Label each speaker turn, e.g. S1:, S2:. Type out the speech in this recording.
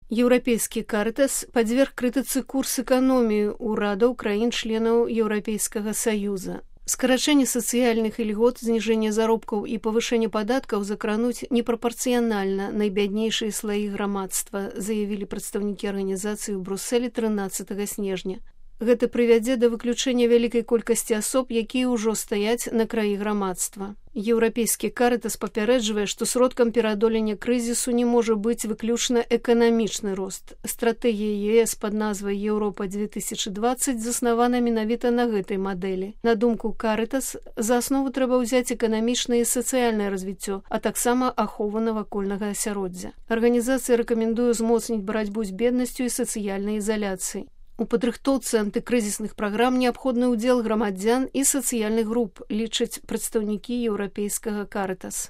S1: Еўрапейскі Карытас падверг крытыцы курс эканоміі ўрадаў краін-членаў Еўрапейскага Саюза. Скарачэнне сацыяльных ільгот, зніжэнне заробкаў і павышэнне падаткаў закрануць непрапарцыянальна найбяднейшыя слаі грамадства, заявілі прадстаўнікі арганізацыі ў Брусэлі 13 снежня. Гэта прывядзе да выключэння вялікай колькасці асоб, якія ўжо стаяць на краі грамадства. Еўрапейскі Карытас папярэджвае, што сродкам пераадолення крызісу не можа быць выключна эканамічны рост. Стратэгія ЕС пад назвай «Еўропа 2020» заснавана менавіта на гэтай мадэлі. На думку Карытас, за аснову трэба ўзяць эканамічнае і сацыяльнае развіццё, а таксама ахову навакольнага асяроддзя. Арганізацыя рэкамендуе ўзмоцніць барацьбу з беднасцю і сацыяльнай ізаляцыяй. У падрыхтоўцы антыкрызісных праграм неабходны ўдзел грамадзян і сацыяльных груп, лічаць прадстаўнікі еўрапейскага Карытас.